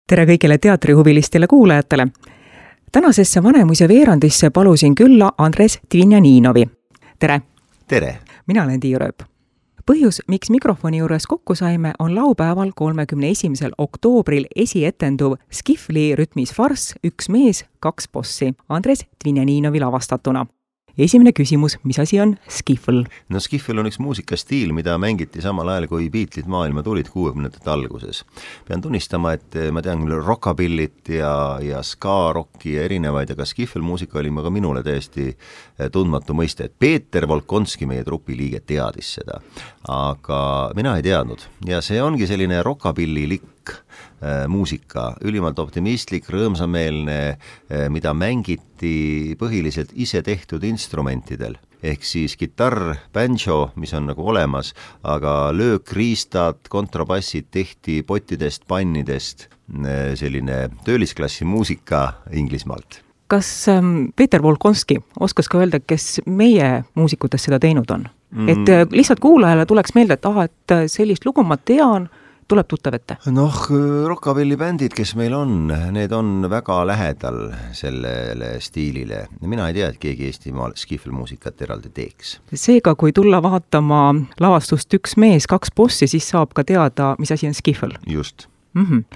Tere kõigile teatrihuvilistele kuulajatele! Tänasesse Vanemuise veerandisse palusin külla Andres Dvinjaninovi. Tere! Tere! Mina olen Tiia Rööp. Põhjus, miks mikrofoni juures kokku saime, on laupäeval 31. oktoobril esietenduv Skifli rütmis farss Üks mees, kaks bossi Andres Dvinjaninovi lavastatuna. Esimene küsimus, mis asi on Skifl? No Skifl on üks muusikastiil, mida mängiti samal ajal, kui Beatlesid maailma tulid 60. alguses. Pean tunnistama, et ma tean küll rockabillit ja ska-rocki ja erinevaid, aga Skifl muusika oli ka minule täiesti tundmatu mõiste. Peeter Volkonski, meie trupi liige, teadis seda, aga mina ei teadnud. Ja see ongi selline rockabillilik muusika, ülimalt optimistlik, rõõmsameelne, mida mängiti põhiliselt ise tehtud instrumentidel. Ehk siis kitarr, banjo, mis on nagu olemas, aga löökriistad, kontrabassid tehti pottidest, pannidest, selline töölisklassi muusika Inglismaalt. Kas Peeter Volkonski oskas ka öelda, kes meie muusikutest seda teinud on? Et lihtsalt kuulajale tuleks meelde, et sellist lugu ma tean, tuleb tuttav ette? Rockabilly bändid, kes meil on, need on väga lähedal sellele stiilile. Mina ei tea, et keegi Eestimaal Skifl muusikat eraldi teeks. Seega, kui tulla vaatama lavastust Üks mees, kaks bossi, siis saab ka teada, mis asi on Skifl. Just.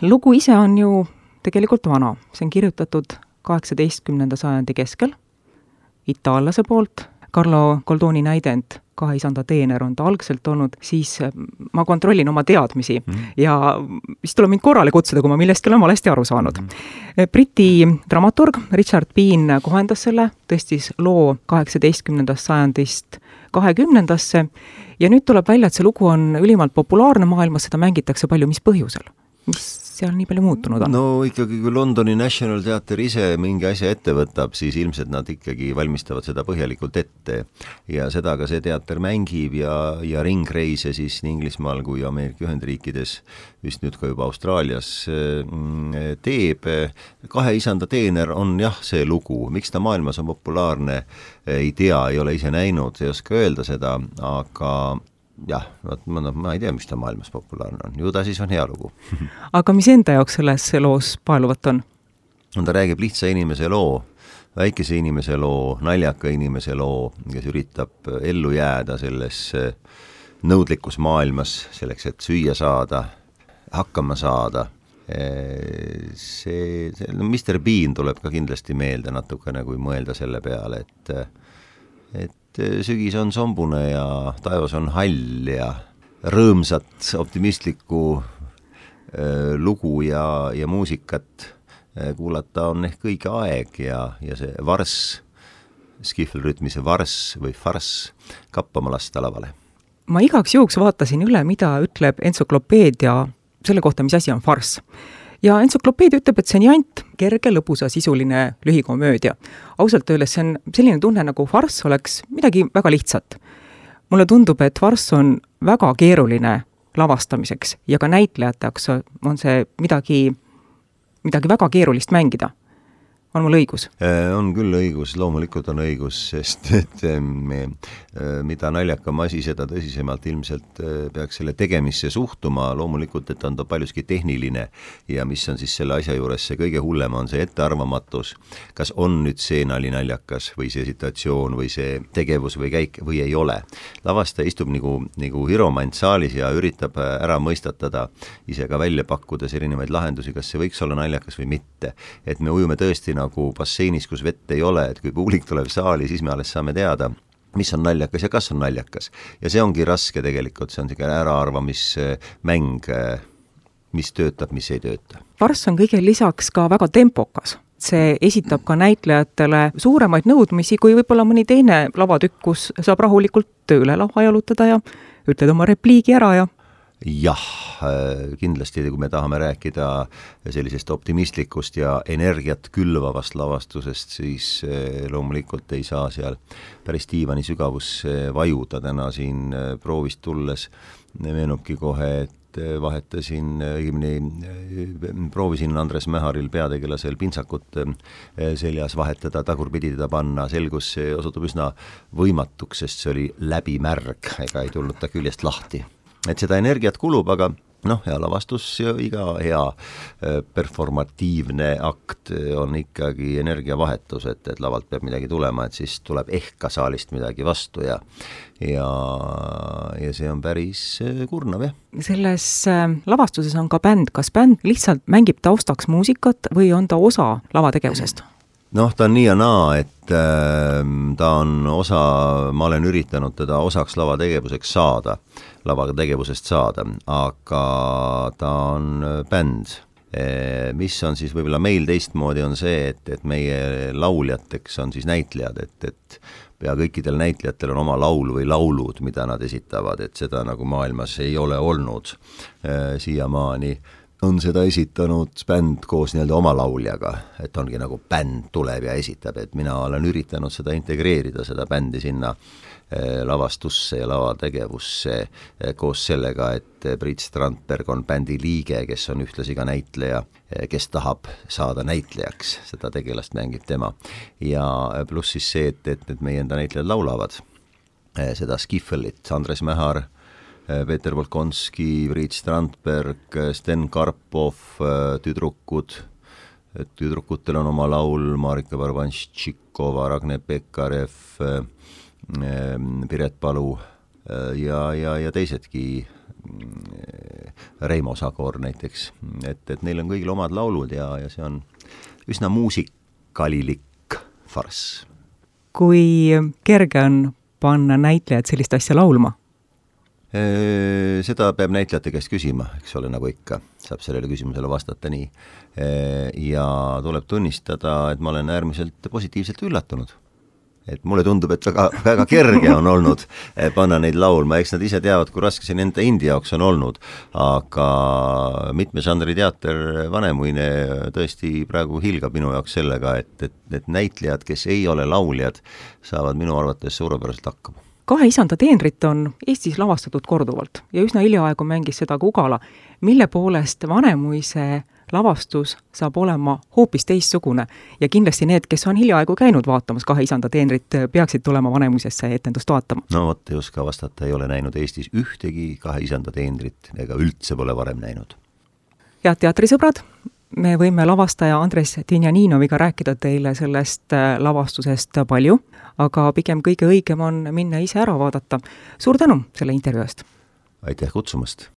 Lugu ise on ju tegelikult vana. See on kirjutatud 18. sajandi keskel itaallase poolt. Carlo Goldoni näidend Kahe isanda teener on ta algselt olnud, siis ma kontrollin oma teadmisi ja siis tuleb mind korrale kutsuda, kui ma millestki olen valesti aru saanud. Briti dramaturg Richard Bean kohendas selle, tõstis loo 18. sajandist 20. ja nüüd tuleb välja, et see lugu on ülimalt populaarne maailmas, seda mängitakse palju, mis põhjusel? Mis seal nii palju muutunud on? No ikkagi, kui Londoni National Theatre ise mingi asja ette võtab, siis ilmselt nad ikkagi valmistavad seda põhjalikult ette ja seda ka see teater mängib ja ringreise siis nii Inglismaal kui Ameerika Ühendriikides, vist nüüd ka juba Austraalias teeb. Kahe isanda teener on jah see lugu, miks ta maailmas on populaarne, ei tea, ei ole ise näinud, ei oska öelda seda, aga jah, ma ei tea, mis ta maailmas populaarne on. Ju ta siis on hea lugu. Aga mis enda jaoks selles loos paeluvat on? Ta räägib lihtsa inimese loo, väikese inimese loo, naljaka inimese loo, kes üritab ellu jääda selles nõudlikus maailmas, selleks, et süüa saada, hakkama saada. Mr. Bean tuleb ka kindlasti meelde natukene, kui mõelda selle peale, et sügis on sombune ja taevas on hall ja rõõmsat, optimistlikku lugu ja muusikat kuulata on ehk õige aeg ja see varss, Skifl rütmise varss või farss kappama lasta lavale. Ma igaks juhuks vaatasin üle, mida ütleb entsüklopeedia selle kohta, mis asi on farss. Ja entsüklopeedia ütleb, et see on jant, kerge, lõbusa, sisuline lühikomöödia. Ausalt öeldes see on selline tunne, nagu farss oleks midagi väga lihtsat. Mulle tundub, et farss on väga keeruline lavastamiseks ja ka näitlejateks on see midagi väga keerulist mängida. On mul õigus? On küll õigus, loomulikult on õigus, sest et mida naljakam asi, seda tõsisemalt ilmselt peaks selle tegemisse suhtuma, loomulikult, et on ta paljuski tehniline ja mis on siis selle asja juures see kõige hullem, on see ettearvamatus, kas on nüüd see naljakas või see situatsioon või see tegevus või käik või ei ole. Lavastaja istub nagu hiromant saalis ja üritab ära mõistatada, ise ka välja pakkudes erinevaid lahendusi, kas see võiks olla naljakas või mitte, et me ujume tõesti nagu basseinis, kus vett ei ole, et kui publik tuleb saali, siis me alles saame teada, mis on naljakas ja kas on naljakas. Ja see ongi raske tegelikult, see on selline äraarvamismäng, mis töötab, mis ei tööta. Farss on kõige lisaks ka väga tempokas. See esitab ka näitlejatele suuremaid nõudmisi, kui võib-olla mõni teine lavatükk, kus saab rahulikult tööle lava jalutada ja ütled oma repliigi ära ja jah, kindlasti, kui me tahame rääkida sellisest optimistlikust ja energiat külvavast lavastusest, siis loomulikult ei saa seal päris diivani sügavusse vajuda. Täna siin proovist tulles meenubki kohe, et proovisin Andres Mäharil peategelasel pintsakut seljas vahetada, tagurpidi teda panna, selgus see osutub üsna võimatuks, sest see oli läbimärg, ega ei tulnud ta küljest lahti. Et seda energiat kulub, aga noh, hea lavastus ja iga hea performatiivne akt on ikkagi energiavahetus, et lavalt peab midagi tulema, et siis tuleb ehk ka saalist midagi vastu ja see on päris kurnav, jah. Selles lavastuses on ka bänd. Kas bänd lihtsalt mängib taustaks muusikat või on ta osa lavategevusest? Noh, ta on nii ja naa, et ta on osa, ma olen üritanud teda osaks lavategevusest saada, aga ta on bänd. Mis on siis võib-olla meil teistmoodi on see, et meie lauljateks on siis näitlejad, et pea kõikidel näitlejatel on oma laul või laulud, mida nad esitavad, et seda nagu maailmas ei ole olnud siiamaani. On seda esitanud bänd koos nii-öelda oma lauljaga, et ongi nagu bänd tuleb ja esitab, et mina olen üritanud seda integreerida, seda bändi sinna lavastusse ja lavategevusse koos sellega, et Priit Strandberg on bändi liige, kes on ühtlasi ka näitleja, kes tahab saada näitlejaks, seda tegelast mängib tema. Ja pluss siis see, et meie enda näitlejad laulavad seda Skiffelit, Andres Mähar, Peeter Volkonski, Priit Strandberg, Sten Karpov, tüdrukutel on oma laul, Marika Barbanščikova, Ragne Pekarev, Piret Palu ja teisedki, Reimo Sagor näiteks, et neil on kõigil omad laulud ja see on üsna muusikalilik farss. Kui kerge on panna näitlejad sellist asja laulma? Seda peab näitlejate käest küsima, eks ole, nagu ikka, saab sellele küsimusele vastata nii. Ja tuleb tunnistada, et ma olen äärmiselt positiivselt üllatunud. Et mulle tundub, et väga kerge on olnud panna neid laulma, eks nad ise teavad, kui raske see nende indi jaoks on olnud, aga mitme žanri teater Vanemuine tõesti praegu hilgab minu jaoks sellega, et näitlejad, kes ei ole lauljad, saavad minu arvates suurepäraselt hakkama. Kahe isanda teenrit on Eestis lavastatud korduvalt ja üsna hiljaaegu mängis seda ka Ugala, mille poolest Vanemuise lavastus saab olema hoopis teistsugune ja kindlasti need, kes on hiljaaegu käinud vaatamas Kahe isanda teenrit, peaksid tulema Vanemuisesse etendust vaatama. No vot, ei oska vastata, ei ole näinud Eestis ühtegi Kahe isanda teenrit ega üldse pole varem näinud. Head teatrisõbrad, me võime lavastaja Andres Tinjaninoviga rääkida teile sellest lavastusest palju, aga pigem kõige õigem on minna ise ära vaadata. Suur tänu selle intervjuu eest! Aitäh kutsumast!